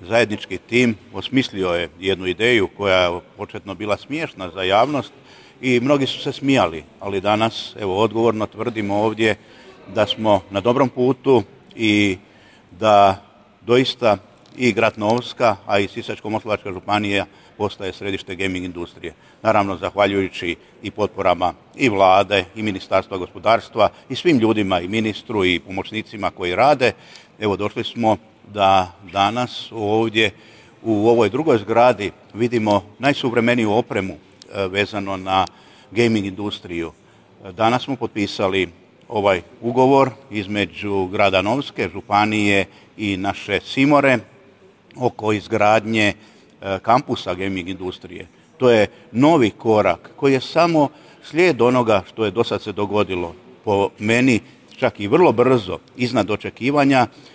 zajednički tim osmislio je jednu ideju koja je početno bila smiješna za javnost i mnogi su se smijali, ali danas evo odgovorno tvrdimo ovdje da smo na dobrom putu i da doista i grad Novska, a i Sisačko-moslavačka županija postaje središte gaming industrije. Naravno, zahvaljujući i potporama i vlade i Ministarstva gospodarstva i svim ljudima i ministru i pomoćnicima koji rade, evo došli smo da danas ovdje u ovoj drugoj zgradi vidimo najsuvremeniju opremu vezano na gaming industriju. Danas smo potpisali ovaj ugovor između grada Novske, županije i naše Simore oko izgradnje kampusa gaming industrije. To je novi korak koji je samo slijed onoga što je do sad se dogodilo. Po meni čak i vrlo brzo, iznad očekivanja,